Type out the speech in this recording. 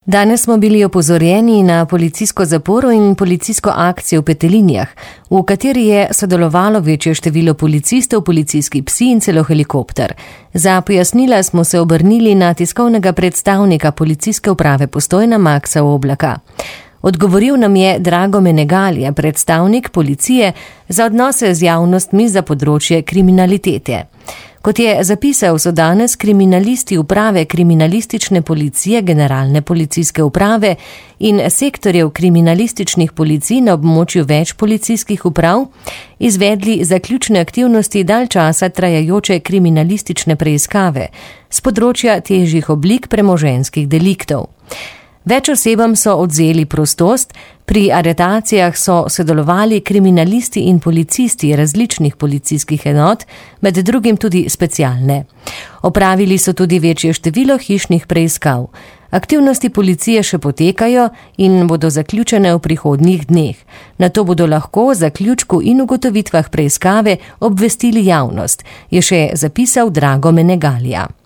Danes smo bili opozorjeni na policijsko zaporo in policijsko akcijo v Petelinjah, v kateri je sodelovalo večje število policistov, policijski psi in celo helikopter. Za pojasnila smo se obrnili na tiskovnega predstavnika policijske uprave Postojna Maksa Oblaka. Odgovoril nam je Drago Menegalija, predstavnik policije za odnose z javnostmi za področje kriminalitete. Kot je zapisal, so danes kriminalisti uprave kriminalistične policije, generalne policijske uprave in sektorjev kriminalističnih policij na območju več policijskih uprav izvedli zaključne aktivnosti dalj časa trajajoče kriminalistične preiskave s področja težjih oblik premoženjskih deliktov. Več osebam so odvzeli prostost, pri aretacijah so sodelovali kriminalisti in policisti različnih policijskih enot, med drugim tudi specialne. Opravili so tudi večje število hišnih preiskav. Aktivnosti policije še potekajo in bodo zaključene v prihodnjih dneh. Nato bodo lahko o zaključku in ugotovitvah preiskave obvestili javnost, je še zapisal Drago Menegalija.